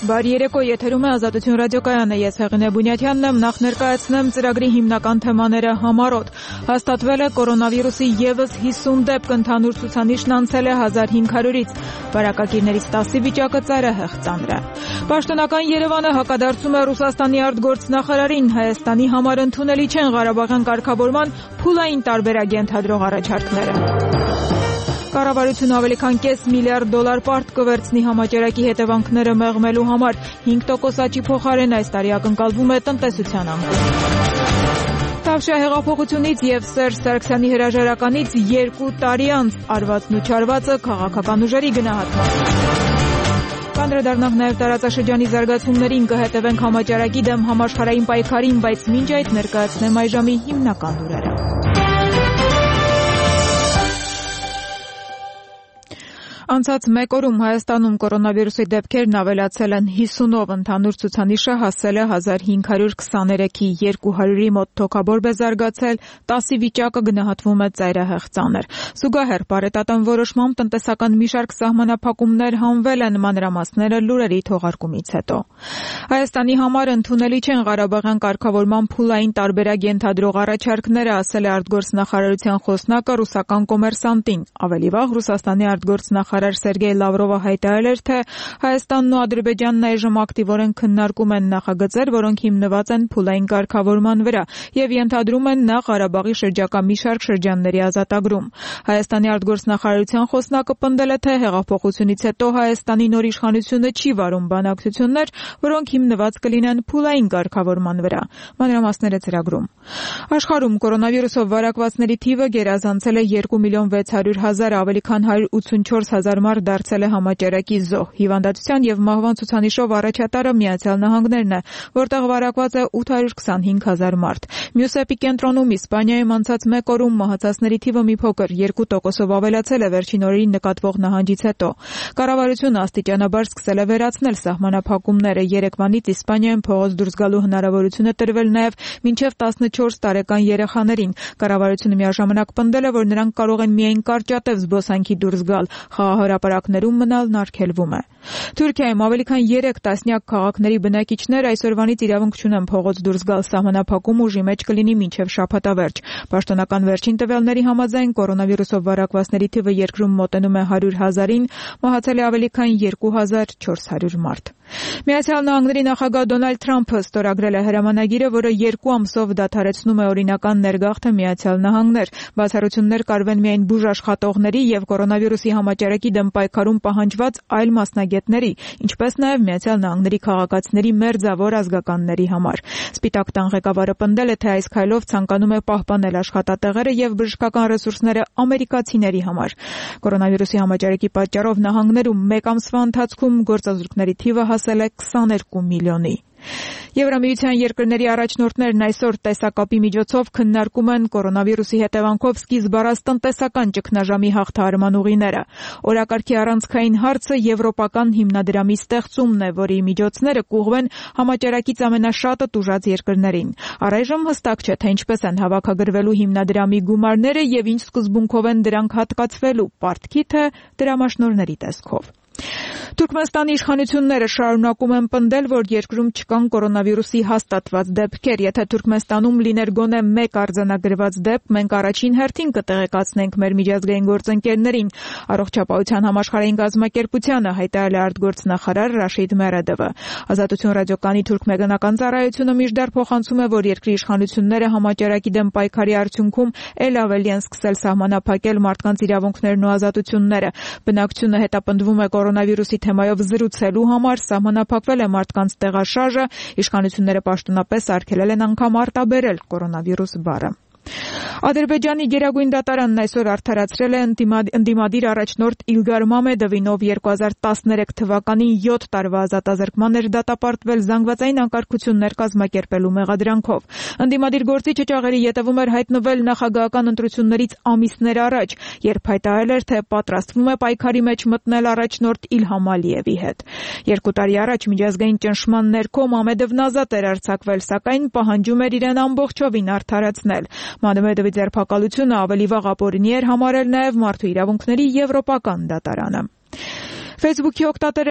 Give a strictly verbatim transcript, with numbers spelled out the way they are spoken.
Բարի երեկո, եթերում է Ազատություն ռադիոկայանը, ես Հեղինե Բունյաթյանն եմ, նախ ներկայացնեմ ծրագրի հիմնական թեմաները համառոտ։ Հաստատվել է կորոնավիրուսի ևս հիսուն դեպք, ընդհանուր ցուցանիշն անցել է հազար հինգ հարյուրից, վարակագիրներից տասի վիճակը ծայրահեղ ծանր է։ Պաշտոնական Երևանը հակադարձում է Ռուսաստանի արտգործնախարարին, Հայաստանի համար ընդունելի չեն Ղարաբաղյան կարգավորման փուլային տարբերակ ենթադրող առաջարկները։ Կառավարությունը ավելի քան կես միլիարդ դոլար պարտ կվերցնի համաճարակի հետևանքները մեղմելու համար, հինգ տոկոս աճի փոխարեն այս տարի ակնկալվում է տնտեսության անկում։ Թավշյա հեղափոխությունից և Սերժ Սարգսյանի հրաժարականից երկու տարի անց արվածն ու չարվածը քաղաքական ուժերի գնահատման։ Կանդրադառնանք նաև տարածաշրջանի զարգացումներին, կհետևենք համաճարակի դեմ համաշխարհային պայքարին, բայց մինչ այդ ներկայացնեմ այժմի հիմնական լուրերը։ Անցած մեկ օրում Հայաստանում կորոնավիրուսի դեպքերն ավելացել են հիսունով, ընդհանուր ցուցանիշը հասել է հազար հինգ հարյուր քսաներեքի, երկու հարյուրի մոտ թոքաբորբ է զարգացել, տասի վիճակը գնահատվում է ծայրահեղ ծանր։ Զուգահեռ բարետատան որոշմամբ տնտեսական մի շարք սահմանափակումներ հանվել են, մանրամասները լուրերի թողարկումից հետո։ Հայաստանի համար ընդունելի չեն Ղարաբաղյան կարգավորման փուլային տարբերակ ենթադրող առաջարկները, ասել է արտգործնախարարության խոսնակը ռուսական կոմերսանտին։ Ավելի վաղ Ռուսաստանի արտգործնախարար Սերգեյ Լավրովը հայտարարել էր, թե Հայաստանն ու Ադրբեջանն այժմ ակտիվորեն քննարկում են նախագծեր, որոնք հիմնված են փուլային կարգավորման վրա եւ ենթադրում են նախ Ղարաբաղի շրջակա մի շարք շրջանների ազատագրում։ Հայաստանի արտգործնախարարության խոսնակը պնդել է, թե հեղափոխությունից հետո Հայաստանի նոր իշխանությունը չի վարում բանակցություններ, որոնք հիմնված կլինեն փուլային կարգավորման վրա։ Մանրամասները ծրագրում։ Աշխարհում կորոնավիրուսով վարակվածների թիվը գերազանցել է երկու միլիոն վեց հարյուր հազար, ավելի քան հարյուր ութսունչորս հազար մարդ դարձել է համաճարակի զոհ։ Հիվանդատության եւ մահվան ցուցանիշով առաջատարը Միացյալ Նահանգներն է, որտեղ վարակված է ութ հարյուր քսանհինգ հազար մարդ։ Մյուս էպիկենտրոնում Իսպանիայում անցած մեկ օրում մահացածների թիվը մի փոքր երկու տոկոսով ավելացել է վերջին օրերին նկատվող նահանջից հետո։ Կառավարությունը աստիճանաբար սկսել է վերացնել սահմանափակումները։ Երեկվանից Իսպանիայում փողոց դուրս գալու հնարավորություն է տրվել նաև մինչև տասնչորս տարեկան երեխաներին։ Կառավարությունը միաժամանակ պնդել է, որ նրանք կարող են միայն կարճատև զբոսանքի դուրս գալ, խաղահրապարակներում մնալն արգելվում է։ Թուրքիայում ավելի քան երեք տասնյակ քաղաքների բնակիչներ այսօրվանից իրավունք չունեն փողոց դուրս գալ, սահմանափակում ուժի մեջ կլինի մինչև շաբաթավերջ։ Պաշտոնական վերջին տվյալների համաձայն կորոնավիրուսով վարակվածների թիվը երկրում մոտենում է հարյուր հազարին, մահացել է ավելի քան երկու հազար չորս հարյուր մարդ։ Միացյալ Նահանգների նախագահ Դոնալդ Թրամփը ստորագրել է հրամանագիրը, որը երկու ամսով դադարեցնում է օրինական ներգաղթը Միացյալ Նահանգներ։ Բացառություններ կարվեն միայն բուժաշխատողների եւ կորոնավիրուսի համաճարակի դեմ պայքարում պահանջված այլ մասնագետների, ինչպես նաեւ Միացյալ Նահանգների քաղաքացիների մերձավոր ազգականների համար։ Սպիտակ տան ղեկավարը պնդել է, թե այս քայլով ցանկանում է պահպանել աշխատատեղերը եւ բժշկական ռեսուրսները ամերիկացիների համար։ Կորոնավիրուսի համաճարակի պատճառով նահանգներում մեկ ամսվա ընթացքում գործազուրկների թիվը հասել է քսաներկու միլիոնի։ Եվրամիության երկրների առաջնորդներն այսօր տեսակապի միջոցով քննարկում են կորոնավիրուսի հետևանքով սկիզբ առած տնտեսական ճգնաժամի հաղթահարման ուղիները։ Օրակարգի առանցքային հարցը եվրոպական հիմնադրամի ստեղծումն է, որի միջոցները կուղղվեն համաճարակից ամենաշատը տուժած երկրներին։ Առայժմ հստակ չէ, թե ինչպես են հավաքագրվելու հիմնադրամի գումարները եւ ինչ սկզբունքով են դրանք հատկացվելու՝ պարտքի թե դրամաշնորհների տեսքով։ Թուրքմենստանի իշխանությունները շարունակում են պնդել, որ երկրում չկան կորոնավիրուսի հաստատված դեպքեր։ Եթե Թուրքմենստանում լիներ գոնե մեկ արձանագրված դեպք, մենք առաջին հերթին կտեղեկացնենք մեր միջազգային գործընկերներին, Առողջապահության համաշխարհային կազմակերպությանը հայտարարել է արտգործնախարար Ռաշիդ Մերեդովը։ Ազատություն ռադիոկայանի թուրքմենական ծառայությունը մինչդեռ փոխանցում է, որ երկրի իշխանությունները համաճարակի դեմ պայքարի արդյունքում ել ավելի են սկսել սահմանափակել մարդկանց իրավունքներն ու ազատությունները։ Բնակչությունը հետապնդվում է կորոնավիրուսի թեմայով զրուցելու համար, սահմանափակվել է մարդկանց տեղաշարժը, իշխանությունները պաշտոնապես արգելել են անգամ արտաբերել կորոնավիրուս բառը։ Ադրբեջանի գերագույն դատարանն այսօր արդարացրել է ընդդիմադիր առաջնորդ Իլգար Մամեդովին, ով երկու հազար տասներեք թվականին յոթ տարվա ազատազրկման էր դատապարտվել զանգվածային անկարգություններ կազմակերպելու մեղադրանքով։ Ընդդիմադիր գործիչը ճաղերի ետևում էր հայտնվել նախագահական ընտրություններից ամիսներ առաջ, երբ հայտարարել էր, թե պատրաստվում է պայքարի մեջ մտնել առաջնորդ Իլհամ Ալիևի հետ։ Երկու տարի առաջ միջազգային ճնշման ներքո Մամեդովն ազատ էր արձակվել, սակայն պահանջում էր իրեն ամբողջովին արդարացնել։ Մամեդովի ձերբակալությունը ավելի վաղ ապօրինի էր համարել նաև Մարդու իրավունքների եվրոպական դատարանը։ Facebook-ի օգտատեր